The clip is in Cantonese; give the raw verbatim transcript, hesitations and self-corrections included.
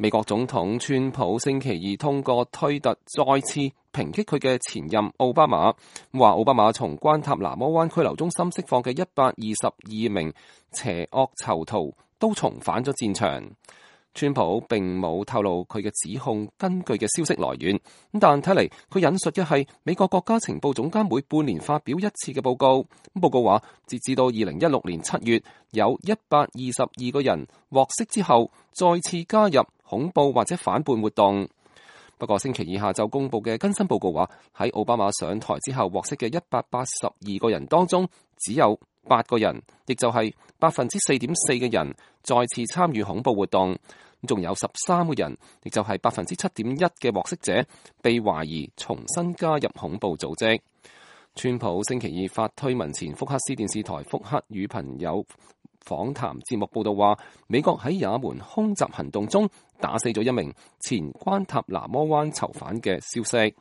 美國總統川普星期二通過推特再次抨擊佢嘅前任奧巴馬，話奧巴馬從關塔那摩灣拘留中心釋放嘅一百二十二名邪惡囚徒都重返咗戰場。川普並冇透露佢嘅指控根據嘅消息來源，但睇嚟佢引述嘅係美國國家情報總監每半年發表一次嘅報告。報告話，截至到二零一六年七月，有一百二十二個人獲釋之後再次加入恐怖或者反叛活動。不過星期二下晝公布嘅更新報告話，喺奧巴馬上台之後獲釋嘅一百八十二個人當中，只有八個人，亦就係百分之四點四嘅人再次參與恐怖活動。仲有十三個人，亦就係百分之七點一嘅獲釋者，被懷疑重新加入恐怖組織。川普星期二發推文前，福克斯電視台福克與朋友訪談節目報道話，美國喺也門空襲行動中打死咗一名前關塔那摩灣囚犯嘅消息。